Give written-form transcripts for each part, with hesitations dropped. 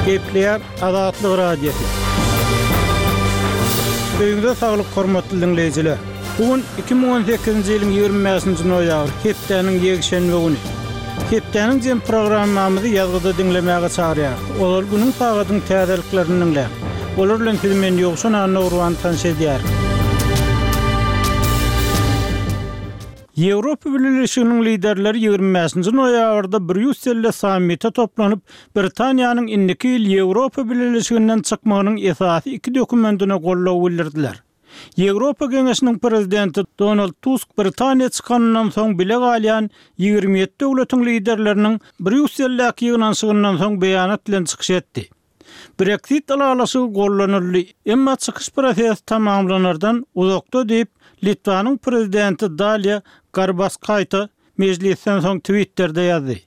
Gepleýär Azatlyk Radiosy. Öýüňize saglyk hormatly diňleýjiler! Bu gün 2018-nji ýylyň 25-nji noýabry, hepdäniň ýekşenbe güni. Hepdäniň jem programmamyzy ýazgyda diňlemäge çagyrýarys. Ozal günüň sagadyň täzeliklerini diňläň. Olar bilen sizi men Ýowşan Annagurban tanyş edýärin. Ýewropa Bileleşiginiň liderleri 25-nji noýabrda Brýusselde sammite toplanyp, Britaniýanyň indiki ýyl Ýewropa Bileleşiginden çykmagynyň esasy iki dokumentine goldaw bildirdiler. Ýewropa Geňeşiniň Prezidenti Donald Tusk Britaniýa çykanyndan soň bile galýan 27 döwletiň liderleriniň Brýusseldäki ýygnanyşygyndan soň beýanat bilen çykyş etdi. Breksit ylalaşygy gollanyldy, emma çykyş prosesi tamamlanardan uzakda diýip, Litwanyň Prezidenti Daliýa Garbaskaýte mejlisden soň Twitterde ýazdy.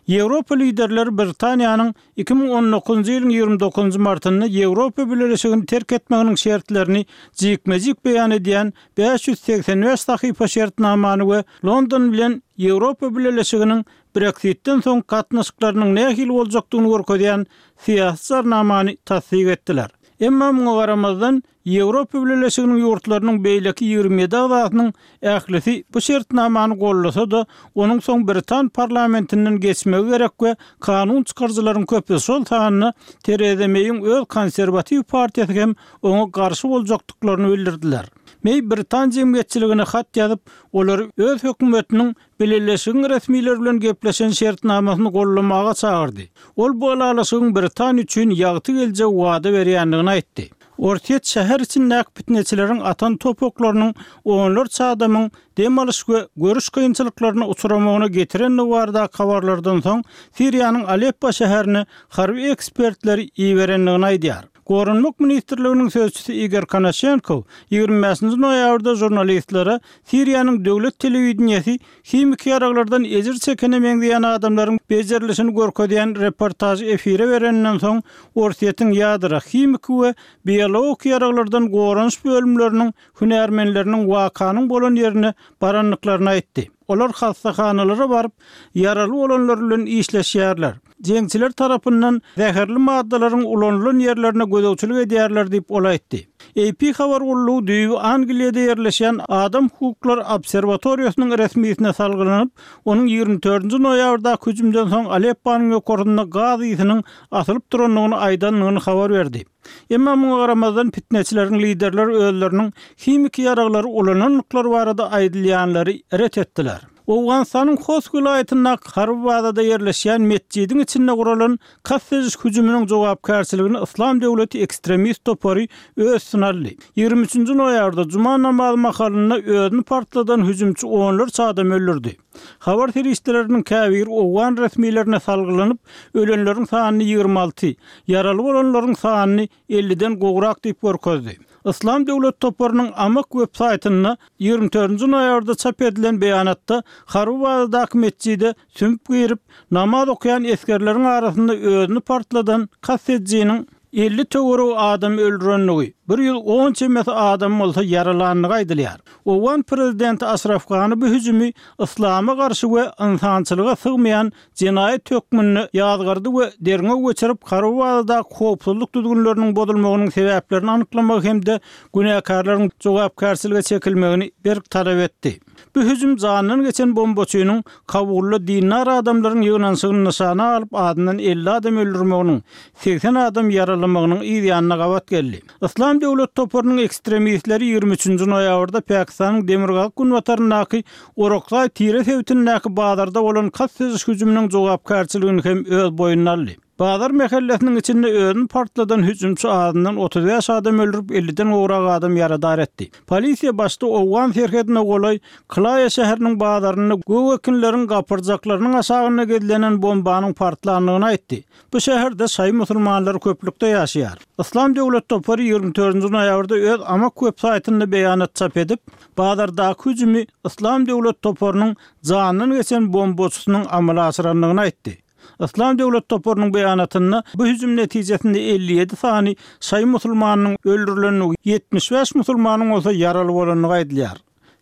Ýewropa liderleri Britaniýanyň 2019-njy ýylyň 29-njy martynda Ýewropa Bileleşigini terk etmeginiň şertlerini jikme-jik beýan edýän 585 sahypa şertnamany we London bilen Ýewropa Bileleşiginiň Breksitden soň gatnaşyklarynyň nähili boljakdygyny görkezýän syýasy jarnamany tassyk etdiler. Emma muňa garamazdan, Ýewropa Bileleşiginiň ýurtlarynyň beýleki 27 agzasynyň ählisi bu şertnamany goldasa-da, onuň soň britan parlamentinden geçmegi gerek we kanun çykaryjylaryň köpüsi, şol sanda Tereza Meýiň öz Konserwatiw partiýasy hem oňa garşy boljakdyklaryny bildirdiler. Meý britan jemgyýetçiligine hat ýazyp, olary öz hökümetiniň Bileleşigiň resmileri bilen gepleşen şertnamasyny goldamaga çagyrdy. Ol bu ylalaşygyň Britaniýa üçin ýagty geljegi wada berýändigini aýtdy. Orsýet şäher içindäki pitneçileriň atan top oklarynyň onlarça adamyň dem alyş we görüş kynçylyklaryna uçramagyna getirendigi baradaky habarlardan soň Siriýanyň Aleppo şäherine harby ekspertleri iberendigini aýdýar. Goranmak ministrliginiň sözçüsi Igor Konaşenkow 25-nji noýabrda žurnalistlere Siriýanyň döwlet telewideniýesi himiki ýaraglardan ejir çekene meňzeýän adamlaryň bejerilişini görkezýän reportažy efire bereninden soň, Orsýetiň ýadro, himiki we biologik ýaraglardan goranyş bölümleriniň hünärmenleriniň wakanyň bolan ýerine barandyklaryny aýtdy. Olar hassahanalara baryp, ýaraly bolanlar bilen işleşýärler. Jeňçiler tarapyndan zäherli maddalaryň ulanylan ýerlerine gözegçilik edýärler diýip, ol aýtdy. AP habar gullugy düýbi Angliýada ýerleşýän Adam hukuklary obserwatoriýasynyň resmisine salgylanyp, onuň 24-nji noýabrdaky hüjümden soň Alepponyň ýokarsynda gaz ysynyň asylyp durandygyny aýdandygyny habar berdi. Emma muňa garamazdan pitneçileriň liderleri özleriniň himiki ýaraglary ulanandyklary barada aýdylýanlary ret etdiler. Owganystanyň Host welaýatyndaky harby bazada ýerleşýän metjidiň içinde guralan kast ediş hüjüminiň jogapkärçiligini Yslam döwleti ekstremist topary öz üstüne aldy. 23-nji noýabrda juma namazy mahalynda özüni partladan hüjümçi onlarça adamy öldürdi. Habar serişdeleriniň käbiri owgan resmilerine salgylanyp, ölenleriň sanyny 26, ýaraly bolanlaryň sanyny elliden gowrak diýip görkezdi. Yslam döwlet toparynyň Amak web saýtynda 24-nji noýabrda çap edilen beýanatda harby bazadaky metjide sümüp girip, namaz okaýan esgerleriň arasynda özüni partladan kast edijiniň 50 töweregi adamy öldürendigi, 110 çemesi adamy bolsa ýaralandygy aýdylýar. Owgan prezidenti Aşraf Gani bu hüjümi yslama garşy we ynsançylyga sygmaýan jenaýat hökmünde ýazgardy we derňew geçirip, harby bazadaky howpsuzlyk düzgünleriniň bozulmagynyň sebäplerini anyklamagy hem-de günäkärleriň jogapkärçilige çekilmegini berk talap etdi. Bu hüjüm janyndan geçen bombaçynyň Kabulda dindar adamlaryň ýygnanyşygyny nyşana alyp azyndan 50 adam öldürmeginiň, 80 adam ýaralamagynyň yz ýanyna gabat geldi. Yslam döwlet toparynyň ekstremistleri 23-nji noýabrda Pakistanyň demirgazyk-günbataryndaky Orakzaý tire sebitindäki bazarda bolan kast ediş hüjüminiň jogapkärçiligini hem öz boýnuna aldy. Bazar mähellesiniň içinde özüni partladan hüjümçi azyndan 35 adam öldürip, 50-den gowrak adam ýaradar etdi. Polisiýa başda owgan serhedine golaý Klaýa şäheriniň bazarynda gök ekinleriň gapyrjaklarynyň aşagynda gizlenen bombanyň partlandygyny aýtdy. Bu şäherde şaýy musulmanlary köplükde ýaşaýar. Yslam döwlet topary 24-nji noýabrda öz Amak web saýtynda beýanat çap edip, bazardaky hüjümi Yslam döwlet toparynyň janyndan geçen bombaçysynyň amala aşyrandygyny aýtdy. Yslam döwlet toparynyň beýanatynda bu hüjüm netijesinde 57 sany şaýy musulmanynyň öldürilendigi, 75 musulmanyň bolsa ýaraly bolandygy aýdylýar.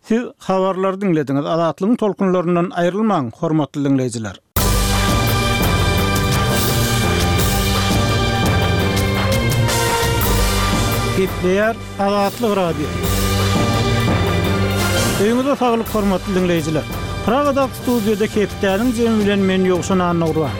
Siz habarlary diňlediňiz. Azatlygyň tolkunlaryndan aýrylmaň, hormatly diňleýjiler. Gepleýär Azatlyk Radiosy. Öýüňize saglyk hormatly diňleýjiler. Pragadaky studiýada hepdäniň jemi bilen men Ýowşan Annagurban.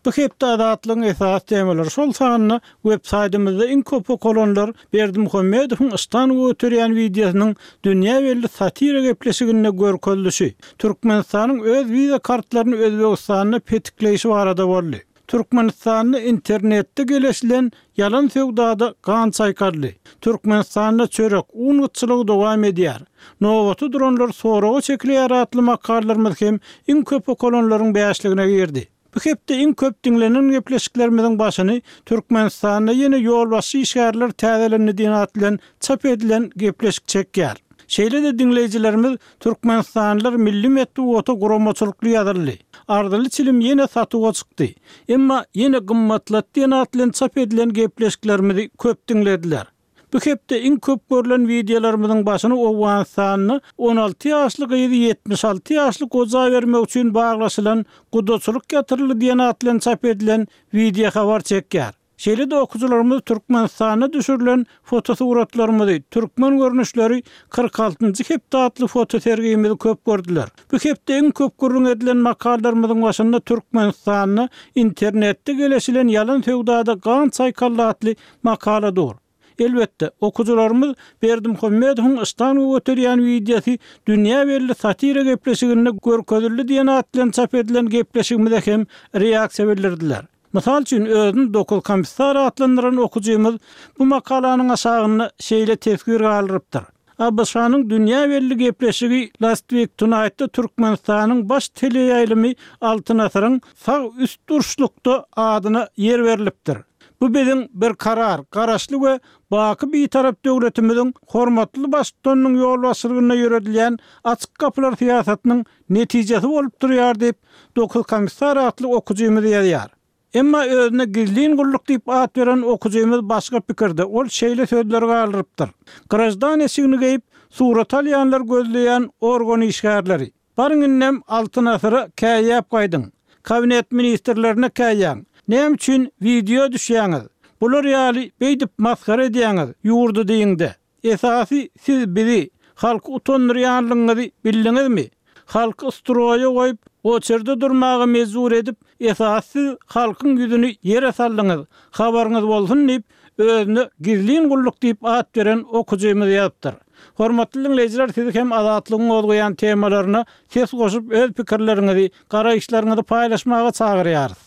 Bu hepde Azatlygyň esasy temalary, şol sanda web saýtymyzda iň köp okalanlar Berdimuhamedowyň yşdan göterýän wideosynyň dünýä belli satira gepleşiginde görkezilişi, Türkmenistanyň öz wiza kartlaryny Özbegistanda petikleýşi barada boldy. Türkmenistanda internetde geleşilen ýalan söwdada gan çaýkaldy. Türkmenistanda çörek, un gytçylygy dowam edýär. Nobata duranlar soraga çekilýär atly makalalarymyz hem iň köp okalanlaryň bäşligine girdi. Bu hepde iň köp diňlenen gepleşiklerimiziň başyny Türkmenistanda ýene ýolbaşçy işgärler täzelendi diýen at bilen çap edilen gepleşik çekýär. Şeýle-de diňleýjilerimiz Türkmenistanlylar milli metbugata guramaçylykly ýazyldy. Arzyly çilim ýene satuwa çykdy. Emma ýene gymmatlat diýen at bilen çap edilen gepleşiklerimizi köp diňlediler. Bu hepde iň köp görlen wideolarymyzyň başyny Owganystanda 16 ýaşly gyzy 76 ýaşly goja bermek üçin baglaşylan gudaçylyk ýatyryldy diýen at bilen çap edilen wideohabar çekýär. Şeýle-de okyjylarymyz Türkmenistanda düşürilen fotosuratlarymyzy, Türkmen görnüşleri 46-njy hepde atly fotosergimizi köp gördüler. Bu hepde iň köp gürrüň edilen makalalarymyzyň başynda Türkmenistanda internetde geleşilen ýalan söwdada gan çaýkaldy atly makala dur. Elbetde, okyjylarymyz Berdimuhamedowyň yştanga göterýän wideosy dünýä belli satira gepleşiginde görkezildi diýen at bilen çap edilen gepleşigimize hem reaksiýa bildirdiler. Mysal üçin, özüni Dokuzkomissar atlandyran okyjymyz bu makalanyň aşagynda şeýle teswir galdyrypdyr, ABŞ-nyň dünýä belli gepleşigi Last Week Tonight-da Türkmenistanyň baş teleýaýlymy Altyn asyryň sag üst burçlukda adyna ýer berlipdir. Bu biziň berkarar, Garaşly we baky Bitarap döwletimiziň hormatly Baştutanynyň ýolbaşçylygynda ýöredilýän açyk gapylar syýasatynyň netijesi bolup durýar diýip, Dokuzkomissar atly okyjymyz ýazýar. Emma özüne gizlin gulluk diýip at beren okyjymyz başga pikirde, ol şeýle sözleri galdyrypdyr, Graždan eşigini geýip, surat alýanlar gözleýän organ işgärleri. Baryň indem Altyn asyra käýýäp gaýdyň. Kabinet ministrlerine käýýäň. Näme üçin wideo düşýäňiz? Bular ýaly beýdip masgara edýäňiz ýurdy diýiňde. Esasy siz bizi, halky utandyrýanlygyňyzy bildiňizmi? Halky stroýa goýup, oçerde durmaga mejbur edip, esasy siz halkyň ýüzüni ýere saldyňyz, habaryňyz bolsun diýip, özüne gizlin gulluk diýip at beren okyjymyz ýazypdyr. Hormatly diňleýjiler siz hem Azatlygyň gozgaýan temalaryna ses goşup öz pikirleriňizi, garaýyşlaryňyzy paýlaşmaga çagyrýarys.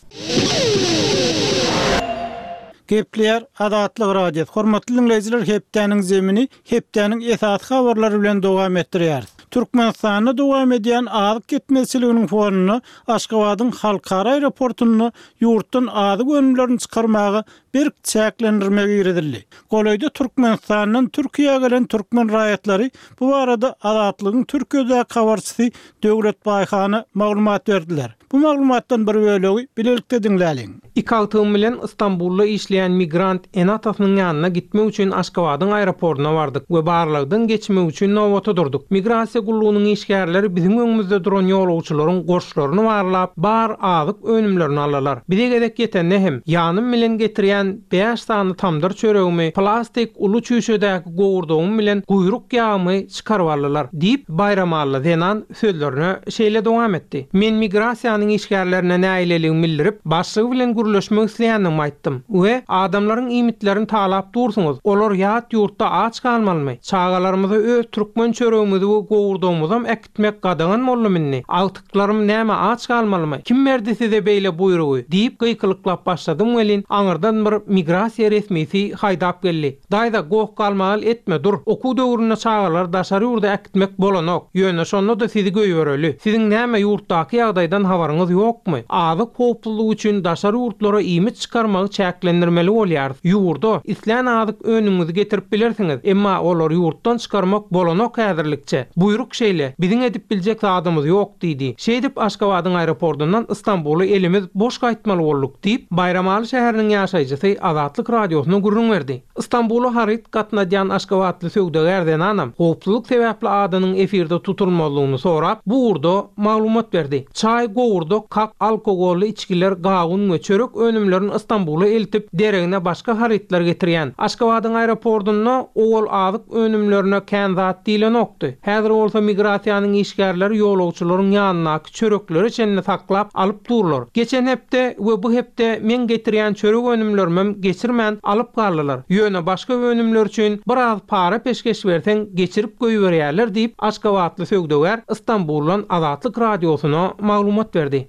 Gepleýär Azatlyk Radiosy. Hormatly diňleýjiler hepdäniň zemini hepdäniň esasy habarlary bilen dowam etdirýäris. Türkmenistanda dowam edýän azyk ýetmezçiliginiň fonunda Aşgabadyň halkara aeroportunda ýurtdan azyk önümlerini çykarmaga berk çäklendirme girizildi. Golaýda Türkmenistandan Türkiýä gelen türkmen raýatlary bu barada Azatlygyň Türkiýedäki habarçysy Döwlet Baýhana maglumat berdiler. Bu maglumatdan bir bölegi bilelikde diňläliň. Iki agtygym bilen Stambulda işleýän migrant ene-atasynyň ýanyna gitmek üçin Aşgabadyň aeroportyna bardyk we barlagdan geçmek üçin nobata durduk. Migrasiýa gullugynyň işgärleri biziň öňümizde duran ýolagçylaryň goşlaryny barlap, bar azyk önümlerini aldylar. Bize gezek ýetende hem, ýanym bilen getirýän bäş sany tamdyr çöregimi, plastik uly çüýşedäki gowurdagym bilen guýruk ýagymy çykaryp aldylar, diýip, baýramally zenan sözlerine şeýle dowam etdi, Men migrasiýanyň işgärlerine nägileligimi bildirip, başlygy bilen gürleşmek isleýändigimi aýtdym we Adamlaryň iýmitlerini talap dursuňyz, olar ýat ýurtda aç galmalymy? Çagalarymyza öz türkmen çöregimizi we gowurdagymyzam äkitmek gadagan boldumy indi? Agtyklarym näme aç galmalymy? Kim berdi size beýle buýrugy? diýip gykylyklap başladym welin, aňyrdan bir migrasiýa resmisi haýdap geldi. Daýza, goh-galmagal etme, dur. Okuw döwründe çagalary daşary ýurda äkitmek bolanok. Ýöne şonda-da sizi goýbereli. Siziň näme, ýurtdaky ýagdaýdan habaryňyz ýokmy? Azyk howpsuzlygy üçin daşary ýurtlara iýmit çykarmagy çäklendirmeli bolýarys. Ýurda islän azyk önümiňizi getirip bilersiňiz, emma olary ýurtdan çykarmak bolanok häzirlikçe. Buýruk şeýle, biziň edip biljek zadymyz ýok diýdi. Şeýdip Aşgabadyň aeroportundan Stambula elimiz boş gaýtmaly bolduk diýip, Baýramaly şäheriniň ýaşaýjysy. ýaşaýjysy Azatlyk Radiosyna gürrüň berdi. Stambula haryt gatnadýan aşgabatly söwdagär zenanam howpsuzlyk sebäpli adynyň efirde tutulmazlygyny sorap, bu ugurda maglumat berdi. Çaý, gowurdak, kak, alkogolly içgiler, gawun we çörek önümlerini Stambula eltip, deregine başga harytlar getirýän. Aşgabadyň aeroportunda owal azyk önümlerine kän zat diýlenokdy. Häzir bolsa migrasiýanyň işgärleri ýolagçylaryň ýanyndaky çöreklere çenli saklap alyp durlar. Geçen hepde we bu hepde meň getirýän çörek önümlerimem geçirmän alyp galdylar. Ýöne başga önümler üçin biraz para peşgeş berseň geçirip goýberýärler diýip, aşgabatly söwdagär Stambuldan Azatlyk Radiosyna maglumat berdi.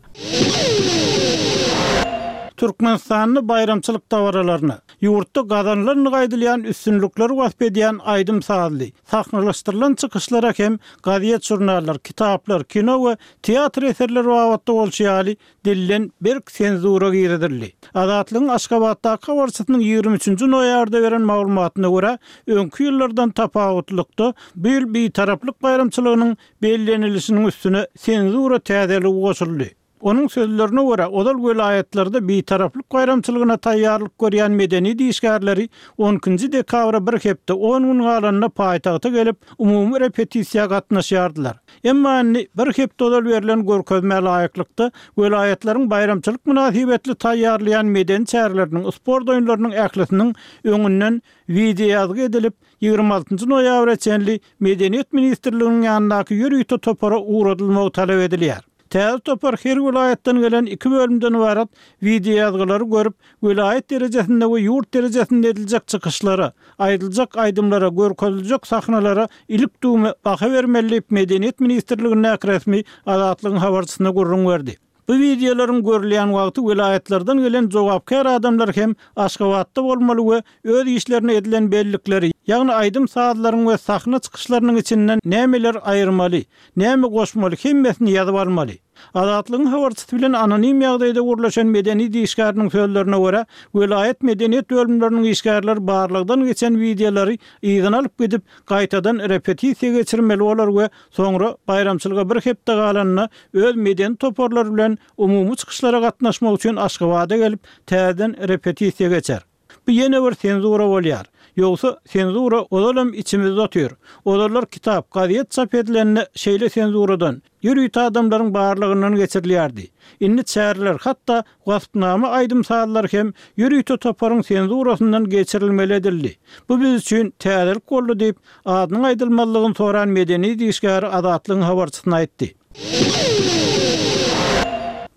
Türkmenistanda baýramçylyk dabaralaryna, ýurtda gazanylandygy aýdylýan üstünlikleri wasp edýän aýdym-sazly, sahnalaşdyrylan çykyşlara hem gazet-žurnallar, kitaplar, kino we teatr eserleri babatda bolşy ýaly, dilden berk senzura girizildi. Azatlygyň Aşgabatdaky habarçysynyň 23 nji noýabrda beren maglumatyna görä, öňki ýyllardan tapawutlykda, bu ýyl Bitaraplyk baýramçylygynyň bellenilişiniň üstüne senzura täzeligi goşuldy. Onuň sözlerine görä, ozal welaýatlarda Bitaraplyk baýramçylygyna taýýarlyk görýän medeniýet işgärleri on ikinji dekabra bir hepde, on gün galanda paýtagta gelip, umumy repetisiýa gatnaşýardylar. Emma indi bir hepde ozal berlen görkezmä laýyklykda, welaýatlaryň baýramçylyk mynasybetli taýýarlaýan medeni çäreleriniň, sport oýunlarynyň ählisiniň öňünden wideoýazgy edilip, 26 noýabra çenli Medeniýet ministrliginiň ýanyndaky ýörite topara ugradylmagy talap edilýär. Täze topar her welaýatdan gelen iki bölümden ybarat wideoýazgylary görüp, welaýat derejesinde we ýurt derejesinde ediljek çykyşlara, aýdyljak aýdymlara, görkeziljek sahnalara ilik-düwme baha bermeli diýip, Medeniýet ministrligindäki resmi Azatlygyň habarçysyna gürrüň berdi. Bu wideolaryň görülýän wagty welaýatlardan gelen jogapkär adamlar hem Aşgabatda bolmaly we öz işlerine edilen bellikleri, ýagny aýdym-sazlaryň we sahna çykyşlarynyň içinden nämeler aýyrmaly, näme goşmaly hemmesini ýazyp almaly. Azatlygyň habarçysy bilen anonim ýagdaýda gürleşen medeniýet işgäriniň sözlerine görä, welaýat medeniýet bölümleriniň işgärleri barlagdan geçen wideolary yzyna alyp gidip, gaýtadan repetisiýa geçirmeli bolar we Soňra baýramçylyga bir hepde galanda öz medeni toparlary bilen umumy çykyşlara gatnaşmak üçin Aşgabada gelip, täzeden repetisiýa geçer. Bu ýene bir senzura bolýar. Ýogsa, senzura ozalam içimizde otyr. Ozallar kitap, gazet çap edilende şeýle senzuradan, ýörite adamlaryň barlagyndan geçirilýärdi. Indi çäreler, hatda Waspnama aýdym-sazlar hem ýörite toparyň senzurasyndan geçirilmeli edildi. Bu biz üçin täzelik boldy diýip, adynyň aýdylmazlygyny soran medeniýet işgäri Azatlygyň habarçysyna aýtdy.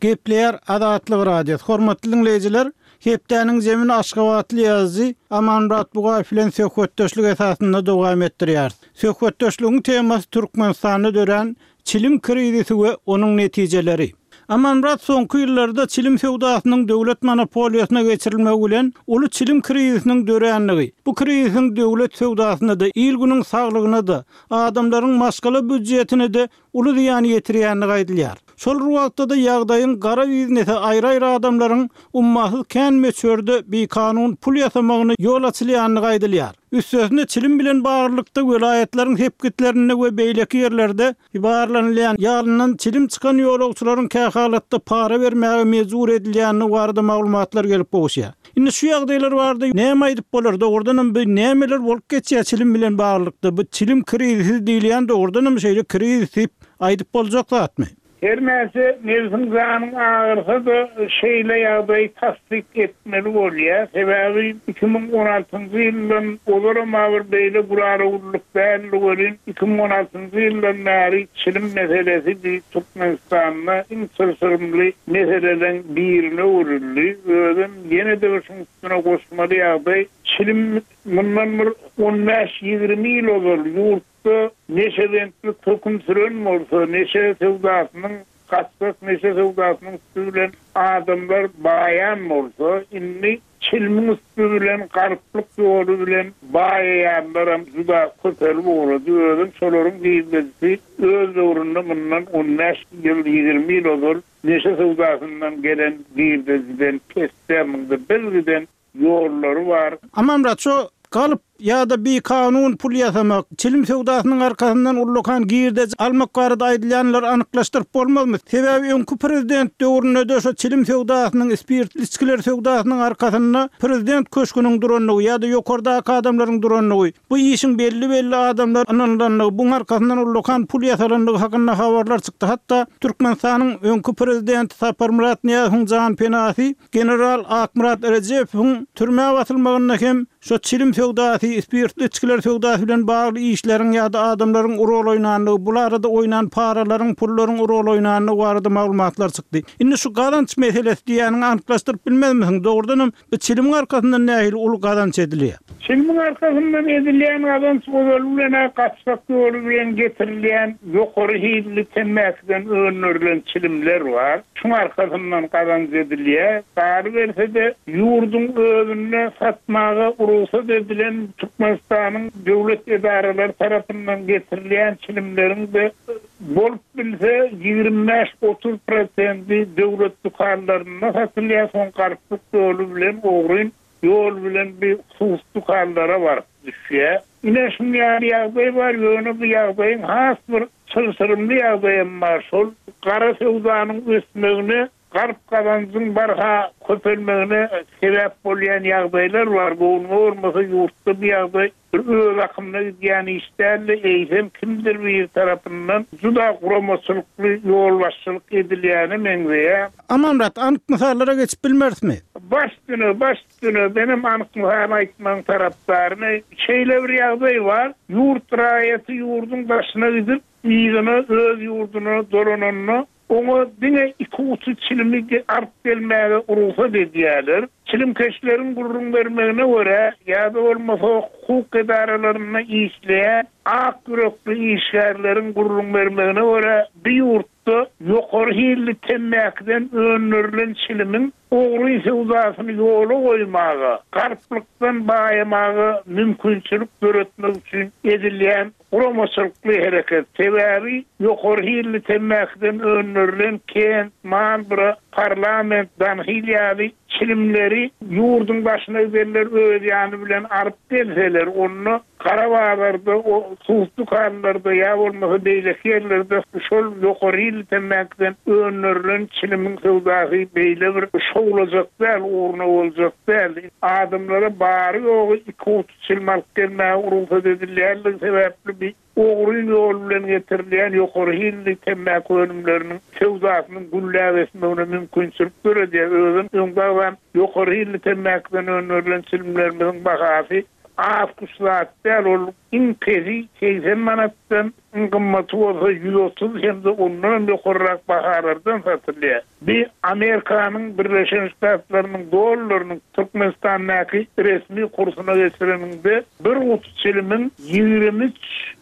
Gepleýär Azatlyk Radiosy. Hormatly diňleýjiler, hepdäniň zemini aşgabatly ýazyjy Amanmyrat Bugaýew bilen söhbetdeşlik esasynda dowam etdirýäris. Söhbetdeşligiň temasy Türkmenistanda dörän çilim krizisi we onuň netijeleri. Amanmyrat soňky ýyllarda çilim söwdasynyň döwlet monopoliýasyna geçirilmegi bilen uly çilim krizisiniň dörändigi, bu krizisiň döwlet söwdasyna-da, il-günüň saglygyna-da, adamlaryň maşgala býudjetine-de uly zyýan ýetirýändigi aýdylýar. Şol bir wagtda-da ýagdaýyň gara biznese aýry-aýry adamlaryň ummasyz kän möçberde bikanun pul ýasamagyna ýol açylýandygy aýdylýar. Üstesine çilim bilen baglylykda welaýatlaryň sepgitlerinde we beýleki ýerlerde barlanylýan ýalyndan çilim çykan ýolagçylaryň kähalatda para bermäge mejbur edilýändigi barada maglumatlar gelip gowuşýar. Indi şu ýagdaýlar barada näme aýdyp bolar, dogrudanam bu nämeler bolup geçýär çilim bilen baglylykda, bu çilim krizisi diýilýän dogrudanam şeýle krizis diýip aýdyp boljak zatmy? Her näçe nebsiň janyň agyrsa-da şeýle ýagdaýy tassyk etmeli bolýar. Sebäbi 2016-njy ýyldan ozalam-a bir beýle gülala-güllük däldi welin, 2016-njy ýyldan bäri çilim meselesi bi Türkmenistanda iň çylşyrymly meseleleň birine öwrüldi. Özem ýene-de bir şuň üstüne goşmaly ýagdaý, çilim mundan bir on bäş-ýigrimi ýyl ozal ýurt Ýurtda neşebentlik höküm süren bolsa, neşe söwdasynyň, gaçgak neşe söwdasynyň üsti bilen adamlar baýan bolsa, indi çilimiň üsti bilen, garyplyk ýoly bilen baýaýanlaram juda köpelip ugrady. Özem şolaryň girdejisi öz döwründe mundan on bäş ýyl, 20 ýyl ozal neşe söwdasyndan gelen girdejiden pesde, munda birgiden ýollary bar. Amanmyrat, şo galyp. Ýa-da bikanun pul ýasamak, çilim söwdasynyň arkasyndan ullakan girdeji almak barada aýdylýanlary anyklaşdyryp bolmazmy? Sebäbi öňki prezident döwründe-de şo çilim söwdasynyň, spirtli içgiler söwdasynyň arkasynda prezident köşgüniň durandygy ýa-da ýokardaky adamlaryň durandygy, bu işiň belli-belli adamlara ynanylandygy, buň arkasyndan ullakan pul ýasalandygy hakynda habarlar çykdy. Hatda Türkmenistanyň öňki prezidenti Saparmyrat Nyýazowyň janpenasy general Akmyrat Rejepowyň türmä basylmagynda hem Şo çilim söwdasy, spirtli içgiler söwdasy bilen bagly işleriň ýa-da adamlaryň rol oýnandygy, bul arada oýnan paralaryň, pullaryň rol oýnandygy barada maglumatlar çykdy. Indi şu gazanç meselesi diýýäniňi anyklaşdyryp bilmezmisiň? Dogrudanam bu çilimiň arkasyndan nähili uly gazanç edilýär? Çilimiň arkasyndan edilýän gazanç ozaly bilen-ä gaçgak ýoly bilen getirilýän ýokary hilli temmäkiden öndürilen çilimler bar. Şuň arkasyndan gazanç edilýär. Galyberse-de, ýurduň özünde satmaga rugsat edilen Türkmenistanyň döwlet edaralary tarapyndan getirilýän çilimleriň-de bolup bilse 25-30 prosendi döwlet dükanlarynda satylýar, soň galplyk ýoly bilen ogryn ýol bilen bir hususy dükanlara baryp düşýär. Ine şuň ýaly ýagdaý bar, ýöne bu ýagdaýyň has bir çylşyrymly ýagdaýam bar, şol gara söwdanyň ösmegine, galp gazanjyň barha köpelmegine sebäp bolýan ýagdaýlar bar, göwnüňe bolmasa ýurtda bu ýagdaý bir öz akymyna gidýän iş däl-de, eýsem kimdir biri tarapyndan juda guramaçylykly ýolbaşçylyk edilýäne meňzeýär. Amanmyrat, anyk mysallara geçip bilmerismi? Baş üstüne, baş üstüne, menem anyk mysal aýtmagyň tarapdaryny. Şeýle bir ýagdaý bar, ýurt raýaty ýurduň daşyna gidip, yzyna, öz ýurduna dolananda, Oňa diňe iki guty çilimi alyp gelmäge rugsat edýärler. Çilimkeşleriň gürrüň bermegine görä, ýa-da bolmasa hukuk edaralarynda işleýän ak ýürekli işgärleriň gürrüň bermegine görä, bu ýurtda ýokary hilli temmäkiden öndürilen çilimiň ogry söwdasyny ýola goýmaga, galplykdan baýamaga mümkinçilik döretmek üçin edilýän Guramaçylykly hereket, sebäbi ýokary hilli temmäkiden öndürilen Kent, Marlboro, Parlament, Dunhill ýaly çilimleri ýurduň daşyna gidenler öz ýany bilen alyp gelseler, onda gara bazarda, hususy dükanlarda ýa bolmasa beýleki ýerlerde şol ýokary hilli temmäkiden öndürilen çilimiň söwdasy beýle bir şowlajak däl, ugruna boljak däl. Adamlara bary-ýogy iki guty Çilim alyp gelmäge rugsat edilýänligi sebäpli bi ogryn ýol bilen getirilýän ýokary hilli temmäki önümleriniň söwdasynyň gülläp ösmegine mümkinçilik döredýär. Özem öňde agzan ýokary hilli temmäkiden öndürilen çilimlerimiziň bahasy az-kuş zat däl, ol iň pesi 80 manatdan, iň gymmaty bolsa 130 hem-de ondanam ýokarrak bahalardan satylýar. Bi Amerikanyň Birleşen Ştatlarynyň dollarynyň Türkmenistandaky resmi kursuna geçireniňde bir guty çilimiň 23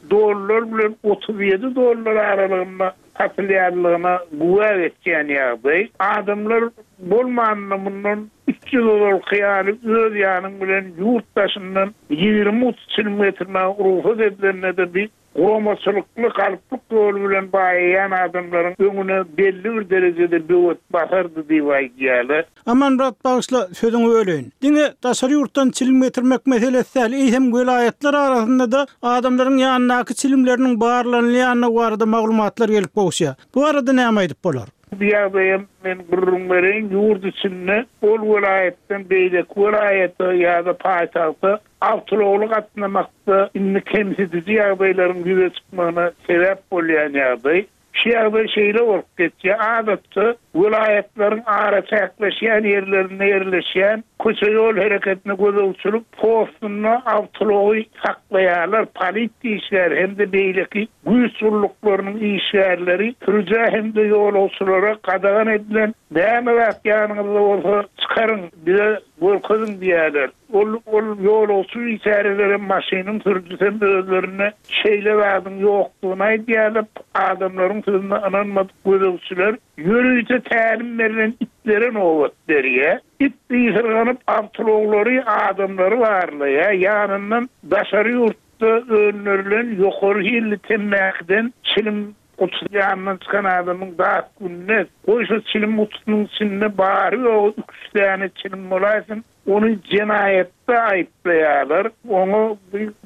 dollar bilen 37 dollar aralygynda satylýanlygyna güwä geçýän ýagdaý. Adamlar bolmanda mundan üç ýyl ozalky ýaly öz ýanyň bilen ýurt daşyndan 20 guty çilim getirmäge rugsat edilende-de bi Guramaçylykly galplyk ýoly bilen baýaýan adamlaryň öňüne belli bir derejede böwet basardy diýip aýdýarlar. Amanmyrat bagyşla sözüňi böleýin. Diňe daşary ýurtdan çilim getirmek meselesi däl, eýsem welaýatlar arasynda-da adamlaryň ýanyndaky çilimleriniň barlanylýandygy barada maglumatlar gelip gowuşýar. Bu barada näme aýdyp bolar? Bu ýagdaýam men gürrüň bereýin, ýurt içinde ol welaýatdan beýleki welaýata ýa-da paýtagta Awtoulagly gatnamakda indi kemsidiji ýagdaýlaryň ýüze çykmagyna sebäp bolýan ýagdaý. Şu ýagdaý şeýle bolup geçýär, adatça, welaýatlaryň araçäkleşýän ýerlerinde ýerleşýän köçe-ýol hereketine gözegçilik postunda awtoulagy saklaýarlar, polisiýa işgäri hem-de beýleki güýç gulluklarynyň işgärleri sürüjä hem-de ýolagçylara gadagan edilen näme zat ýanyňyzda bolsa çykaryň, bize görkeziň diýýärler. Ol ol ýolagçy biçärelerem maşynyň sürüjisem özlerinde şeýle zadyň ýokdugyny aýdýarlar. Adamlaryň sözüne ynanmadyk gözegçiler ýörite tälim berlen itlere nobat berýär. It ysyrganyp awtoulaglary, adamlary barlaýar. Ýanyndan daşary ýurtda öndürilen ýokary hilli temmäkiden çilim Gutusy ýanyndan çykan adamyň dat gününe. Goý şo çilim gutusynyň içinde bary-ýogy üç däne çilim bolaýsyn, ony jenaýatda aýyplaýarlar. Oňa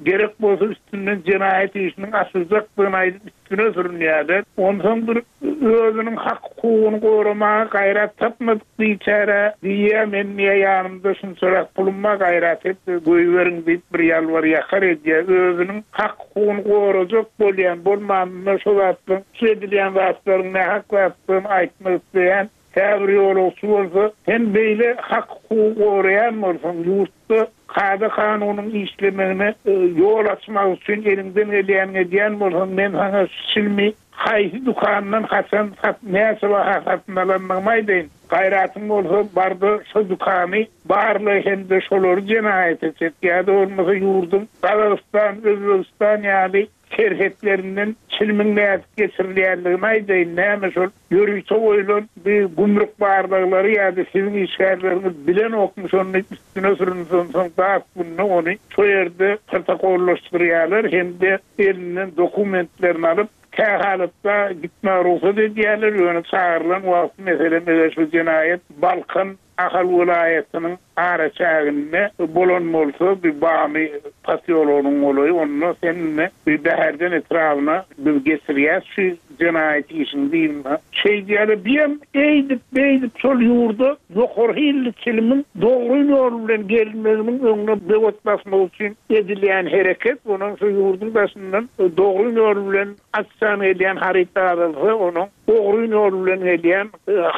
gerek bolsa üstünden jenaýat işiniň açyljakdygyny aýdyp üstüne sürünýärler. Onsoň bir özüniň hak-hukugyny goramaga gaýrat tapmadyk biçäre diýýär, men diýýär ýanymda şunçarak pulum bar, gaýrat et, goýberiň diýip bir ýalbar-ýakar edýär. Özüniň hak-hukugyny gorajak bolýan, bolmanynda şo zatlaryň, şu edilýän zatlaryň nähak zatdygyny aýtmak isleýän käbir ýolagçy bolsa, sen beýle hak-hukugy goraýan bolsaň, ýurtda kada-kanunyň işlemegine ýol açmak üçin eliňden gelýänini edýän bolsaň, men saňa şu çilimi haýsy dükandan haçan sat, näçe baha satyn alandygymy aýdaýyn. Gaýratyň bolsa, bar-da şo dükany barla hem-de şolary jenaýata çek ýa-da bolmasa ýurduň Gazagystan, Özbegistan ýaly serhetlerinden çilimiň nädip geçirilýändigini aýdaýyn, näme şol ýörite goýlan bi gümrük barlaglary ýa-da siziň işgärleriňiz bilenokmy şony diýip üstüne sürünse onsoň dat günde ony şo ýerde protokollaşdyrýarlar hem-de elinden dokumentlerini alyp kähalatda gitmäge rugsat edýärler, ýöne çagyrylan wagty meselem eger şu jenaýat Balkan Ahal welaýatynyň araçäginde bolan bolsa, bi Bamy posýologynyň golaýy, onda sen indi bi Bäherden etrabyna biz geçirýäs şu jenaýat işini diýilme. Şeýdýärler. Biýem eýdip-beýdip şol ýurda ýokary hilli çilimiň dogry ýol bilen gelmeginiň öňüne böwet basmak üçin edilýän hereket, onuň şu ýurduň daşyndan dogry ýol bilen açjan gelýän haryt azalsa, onuň Ogryn ýol bilen gelýän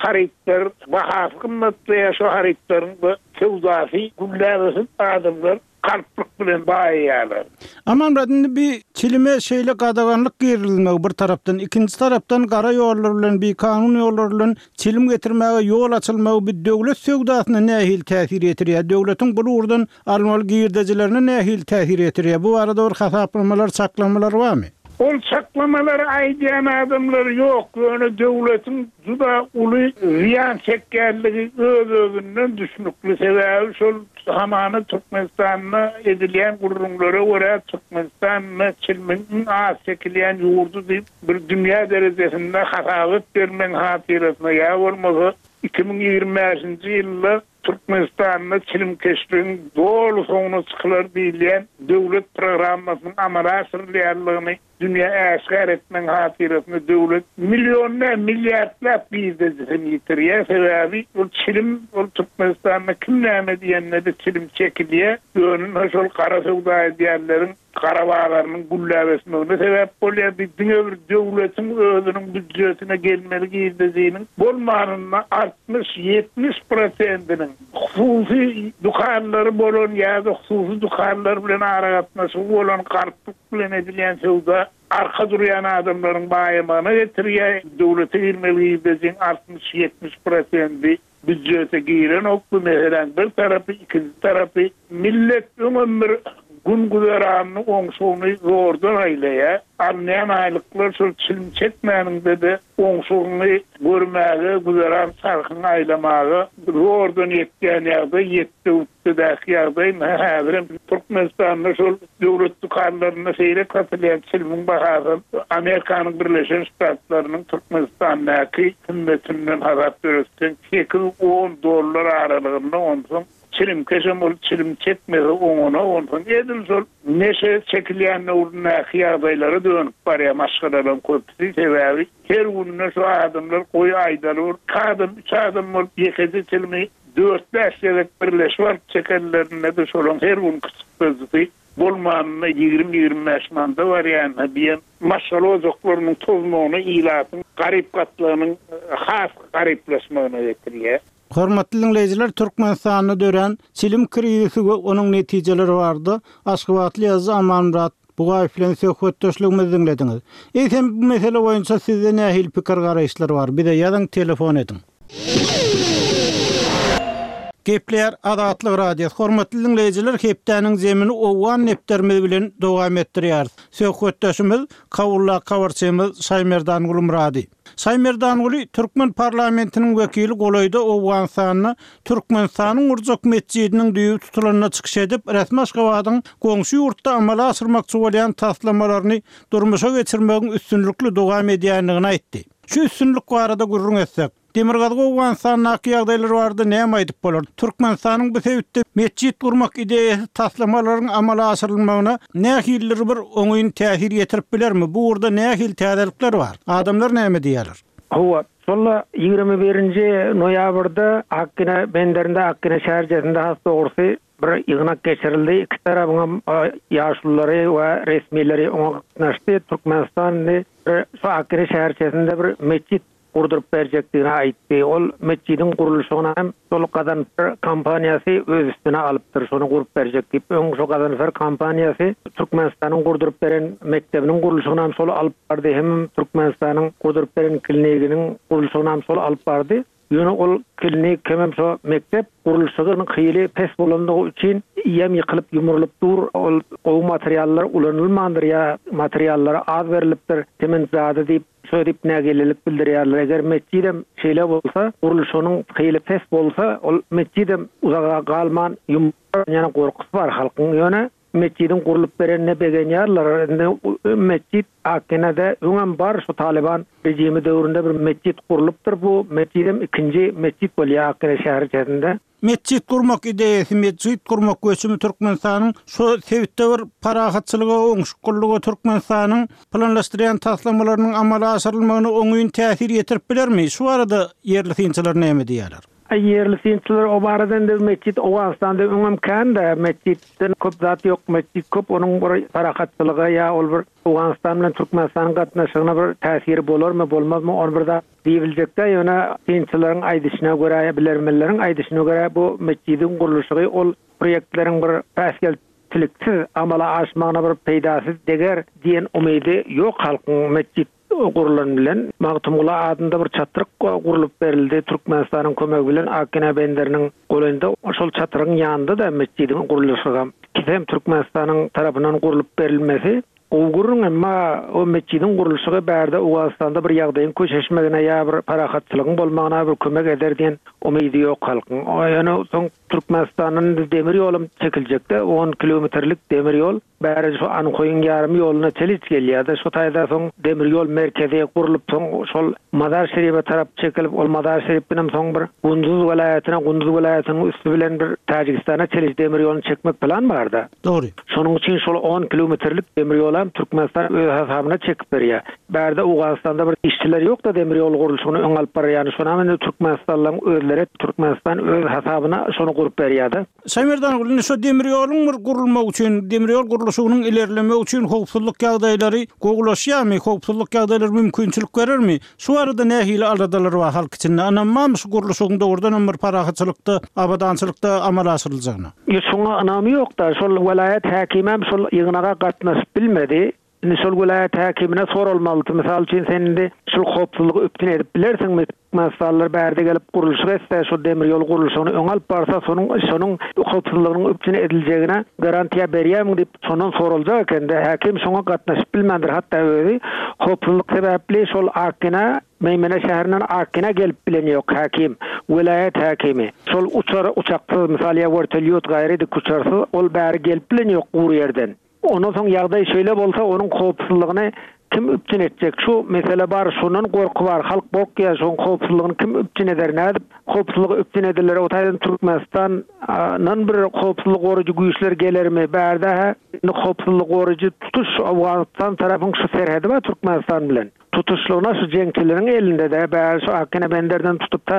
harytlar bahasy gymmatlaýar, şo harytlaryň-da söwdasy gülläp ösüp, adamlar galplyk bilen baýaýarlar. Amanmyrat, indi bi çilime şeýle gadaganlyk girizilmegi bir tarapdan, ikinji tarapdan gara ýollar bilen, bikanun ýollar bilen çilim getirmäge ýol açylmagy bi döwlet söwdasyna nähili täsir ýetirýär, döwletiň bul ugurdan almaly girdejilerine nähili täsir ýetirýär, bu barada bir hasaplamalar, çaklamalar barmy? Ol çaklamalary aýdýan adamlar ýok, ýöne döwletiň juda uly zyýan çekýänligi öz-özünden düşnükli, sebäbi şol hamana Türkmenistanda edilýän gürrüňlere görä Türkmenistan çilimiň iň az çekilýän ýurdy diýip bir dünýä derejesinde hasabat bermegiň hatyrasyna ýa bolmasa 2025-nji ýylda Türkmenistanda çilimkeşligiň doly soňuna çykylar diýilýän döwlet programmasynyň amala aşyrylýanlygyny dünýä äşgär etmegiň hatyrasyna döwlet million däl, milliardlap girdejisini ýitirýär. Sebäbi ol çilim, ol Türkmenistanda kim näme diýende-de çilim çekilýär. Ýöne şol gara söwda edýänleriň gara bazarynyň gülläp ösmegine sebäp bolýar. Bi diňe bir döwletiň özüniň býudjetine gelmeli girdejiniň bolmanynda 60-70 prosentiniň hususy dükanlary bolan ýa-da hususy dükanlar bilen aragatnaşygy bolan galplyk bilen edilýän söwda arka durýan adamlaryň baýamagyna getirýär. Döwlete girmeli girdejiň 60-70 prosenti Býudjete girenok bu meseläň bir tarapy, ikinji tarapy millet öňem bir gün-güzeranyny, oňşugyny zordan aýlaýar. Alynýan aýlyklar şol çilim çekmäniňde-de oňşugyňy görmäge, güzeran çarhyňy aýlamaga zordan ýetýän ýagdaý, ýetde-gütdedäki ýagdaý. Ynha, häzirem Türkmenistanda şol Döwlet dükanlarynda seýrek satylýan çilimiň bahasy Amerikanyň Birleşen Ştatlarynyň Türkmenistandaky hümmetinden hasap ýöretseň, sekiz-on dollar aralygynda, onsoň çilimkeşem ol çilim çekmese oňana, onsoň edil şol neşe çekilýän döwründäki ýagdaýlara dönüp barýar maşgalalaryň köpüsi, sebäbi her günde şu adamlar goý aýdaly bir iki adam, üç adam bolup ýekeje çilimi Dört-bäş gezek birleşip alyp çekenlerinde-de şolaň her günki çykdajysy bolmanynda 20-25 manada barýan-da diýen maşgala ojaklarynyň tozmagyna, ilatyň garyp gatlagynyň has garyplaşmagyna getirýär. Hormatly diňleýjiler, Türkmenistanda dörän çilim krizisi we onuň netijeleri barada aşgabatly ýazyjy Amanmyrat Bugaýew bilen söhbetdeşligimizi diňlediňiz. Eýsem bu mesele boýunça sizde nähili pikir-garaýyşlar bar? Bize ýazyň, telefon ediň. Gepleýär Azatlyk Radiosy. Hormatly diňleýjiler, hepdäniň zemini owgan depderimiz bilen dowam etdirýäris. Söhbetdeşimiz Kabuldaky habarçymyz Şaýmerdan Gulmyrady. Şaýmerdanguly, türkmen parlamentiniň wekili golaýda Owganystanda Türkmenistanyň gurjak metjidiniň düýbi tutulanda çykyş edip, resmi Aşgabadyň goňşy ýurtda amala aşyrmakçy bolýan taslamalaryny durmuşa geçirmegiň üstünlikli dowam edýändigini aýtdy. Şu üstünlik barada gürrüň etsek. Demirgazyk Owganystandaky ýagdaýlar barada näme aýdyp bolar? Türkmenistanyň bu sebitde metjit gurmak ideýasy taslamalaryň amala aşyrylmagyna nähilidir bir oňyn täsir ýetirip bilermi? Bu ugurda nähili täzelikler bar? Adamlar näme diýýärler? Hawa, şol 21-nji noýabrda Akgine benderinde, Akgine şäherçesinde has dogrusy bir ýygnak geçirildi. Iki tarapyňam ýaşululary we resmileri oňa gatnaşdy. Türkmenistan indi bir şu Akgine şäherçesinde bir metjit gurduryp berjekdigini aýtdy. Ol metjidiň gurluşygyny hem şol Gazanfer kompaniýasy öz üstüne alypdyr, şony gurup berjek diýip. Öň şo Gazanfer kompaniýasy Türkmenistanyň gurduryp beren mekdebiniň gurluşygyny hem şol alyp bardy, hemem Türkmenistanyň gurduryp beren kliniginiň gurluşygyny hem şol alyp bardy. Ýöne ol klinik hemem şo mekdep gurluşygynyň hili pes bolandygy üçin ýem ýykylyp ýumrulyp dur. Ol gowy materiallar ulanylmandyr ýa materiallara az berlipdir, sement zady diýip Şo diýip nägilelik bildirýärler. Eger metjidem şeýle bolsa, gurluşygynyň hili pes bolsa, ol metjidem uzaga galman ýumrar ýa gorkusy bar halkyň. Ýöne metjidiň gurlup berenine begenýärler. Indi metjit Akgenede öňem bar, şu Talyban režimi döwründe bir metjit gurlupdyr. Bu metjidem ikinji metjit bolýar Akgene şäherçesinde. Metjit gurmak ideýasy, metjit gurmak göçümi Türkmenistanyň şu sebitde bir parahatçylyga, oňşuklylyga Türkmenistanyň planlaşdyrýan taslamalarynyň amala aşyrylmagyna oňyn täsir ýetirip bilermi? Şu barada ýerli synçylar näme diýýärler? Aý ýerli synçylar o barada indi metjit Owganystanda öňem kän-dä, metjitden köp zat ýok, metjit köp onuň bir parahatçylyga ýa ol bir Owganystan bilen Türkmenistanyň gatnaşygyna bir täsiri bolarmy, bolmazmy ony bir zat Diýibiljekdä, ýöne synçylaryň aýdyşyna görä, bilermenleriň aýdyşyna görä bu metjidiň gurluşygy ol proýektleriň bir päsgelçiliksiz amala aşmagyna bir peýdasy deger diýen umydy ýok halkyň metjit gurlan bilen. Magtymguly adynda bir çatryk gurlup berildi Türkmenistanyň kömegi bilen Akgina benderiniň golaýynda şol çatrygyň ýanynda-da metjidiň gurluşygam ikisem Türkmenistanyň tarapyndan gurlup berilmesi Gowy gürrüň, emma o metjidiň gurluşygy bärde Owganystanda bir ýagdaýyň köşeşmegine ýa bir parahatçylygyň bolmagyna bir kömek eder diýen umydy ýok halkyň. Ýöne soň Türkmenistandan indi demir ýolam çekiljekdä, on kilometrlik demir ýol bäri şu Anhoýyň ýarym ýoluna çeliç gelýärdi. Şo taýda soň demir ýol merkezi gurlup soň şol Mazar Şeribe tarap çekilip ol Mazar Şeripdenem soň bir Gunduz welaýatyna, Gunduz welaýatynyň üsti bilen bir Täjigistana çeliç demir ýoluny çekmek plan barda. Dogry. Şonuň üçin şol on kilometrlik demir ýolam Türkmenistan öz hasabyna çekip berýär. Bärde Owganystanda bir işçiler ýok-da demir ýol gurluşygyny öňe alyp barýany. Şonam indi türkmenistanlylaryň özleri Türkmenistan öz hasabyna şony gurup berýär-de. Şaýmerdan indi şo demir ýoluň bir gurulmagy üçin, demir ýol gurluşygynyň ilerlemegi üçin howpsuzlyk ýagdaýlary gowulaşýarmy, howpsuzlyk ýagdaýlary mümkinçilik berermi? Şu barada nähili aladalar bar halk içinde? Ynam barmy şu gurluşygyň dogrudan hem bir parahatçylykda, abadançylykda amala aşyryljagyna? Ýok, şoňa ynamy ýok-da. Şol welaýat häkimem şol ýygnaga gatnaşyp bilmedi. Indi şol welaýat häkimine soralmalydy. Mysal üçin, sen indi şul howpsuzlygy üpjün edip bilersiňmi? Türkmenistanlylar bärde gelip gurluşyk etse, şol demir ýol gurluşygyny öňe alyp barsa, şonuň şonuň howpsuzlygynyň üpjün ediljegine garantiýa berýärmiň diýip, şondan soraljak ekende, häkim şoňa gatnaşyp bilmändir, hatda özi howpsuzlyk sebäpli şol Akgina, Meýmene şäherinden Akgina gelip bilen ýok, häkim, welaýat häkimi. Şol uçar, uçaksyz, mysal ýa wertolýot gaýry dikuçarsyz ol bäri gelip bilen ýok gury ýerden. Ondan soň ýagdaý şeýle bolsa onuň howpsuzlygyny kim üpjün etjek? Şu mesele bar, şondan gorky bar, halk gorkýar, şoň howpsuzlygyny kim üpjün eder, nädip howpsuzlygy üpjün ediler, o taýdan Türkmenistan dan bir howpsuzlyk goraýjy güýçler gelermi, bärde-hä indi howpsuzlyk goraýjy tutuş Owganystan tarapyň şu serhedi bar Türkmenistan bilen. Tutuşlygyna şu jeňçileriň elinde-de, bäri şu Akgene benderden tutup ta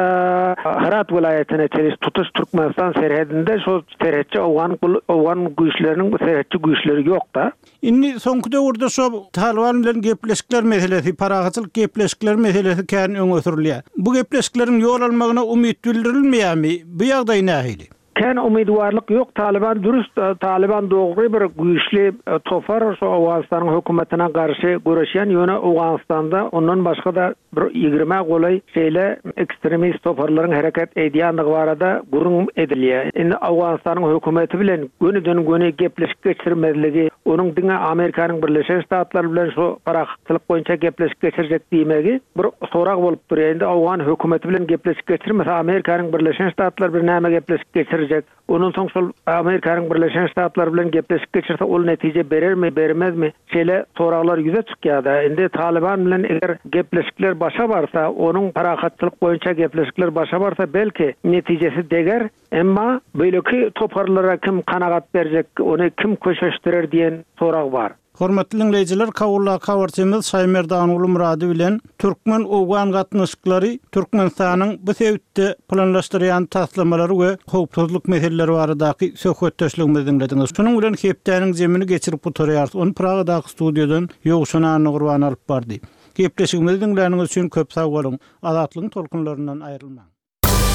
Hyrat welaýatyna çenli tutuş Türkmenistan serhedinde şu serhetçi owgan gul owgan güýçleriniň serhetçi güýçleri ýok-da. Indi soňky döwürde şo Talyban bilen gepleşikler meselesi, parahatçylyk gepleşikleri meselesi kän öňe sürülýär. Bu gepleşikleriň ýol almagyna umyt bildirilmeýärmi? Bu ýagdaý nähili? Kän umydywarlyk ýok Talyban dürüst Talyban dogry bir güýçli topar şo Owganystanyň hökümetine garşy göreşýän ýöne Owganystanda ondan başgada bir ýigrimä golaý şeýle ekstremist toparlaryň hereket edýändigi barada gürrüň edilýär. Indi Owganystanyň hökümeti bilen gönüden göni gepleşik geçirmezligi onuň diňe Amerikanyň Birleşen Ştatlary bilen şo parahatçylyk boýunça gepleşik geçirjek diýmegi bir sorag bolup durýar. Indi owgan hökümeti bilen gepleşik geçirmese, Amerikanyň Birleşen Ştatlary bilen näme gepleşik geçirjek? geçirjek? Ondan soň şol Amerikanyň Birleşen Ştatlary bilen gepleşik geçirse ol netije berermi, bermezmi? Şeýle soraglar ýüze çykýar-da. Indi Talyban bilen eger gepleşikler başa barsa, onuň parahatçylyk boýunça gepleşikler başa barsa belki netijesi deger. Emma beýleki toparlara kim kanagat berjek, ony kim köşeşdirer diýen sorag bar. Hormatly diňleýjiler, Kabuldaky habarçymyz Şaýmerdanguly Myrady bilen türkmen-owgan gatnaşyklary, Türkmenistanyň bu sebitde planlaşdyrýan taslamalary we howpsuzlyk meseleleri baradaky söhbetdeşligimizi diňlediňiz. Şunuň bilen hepdäniň jemini geçirip gutarýarys. Ony Pragadaky studiýadan Ýowşan Annagurban alyp bardy. Gepleşigimizi diňläniňiz üçin köp sag boluň! Azatlygyň tolkunlaryndan aýrylmaň!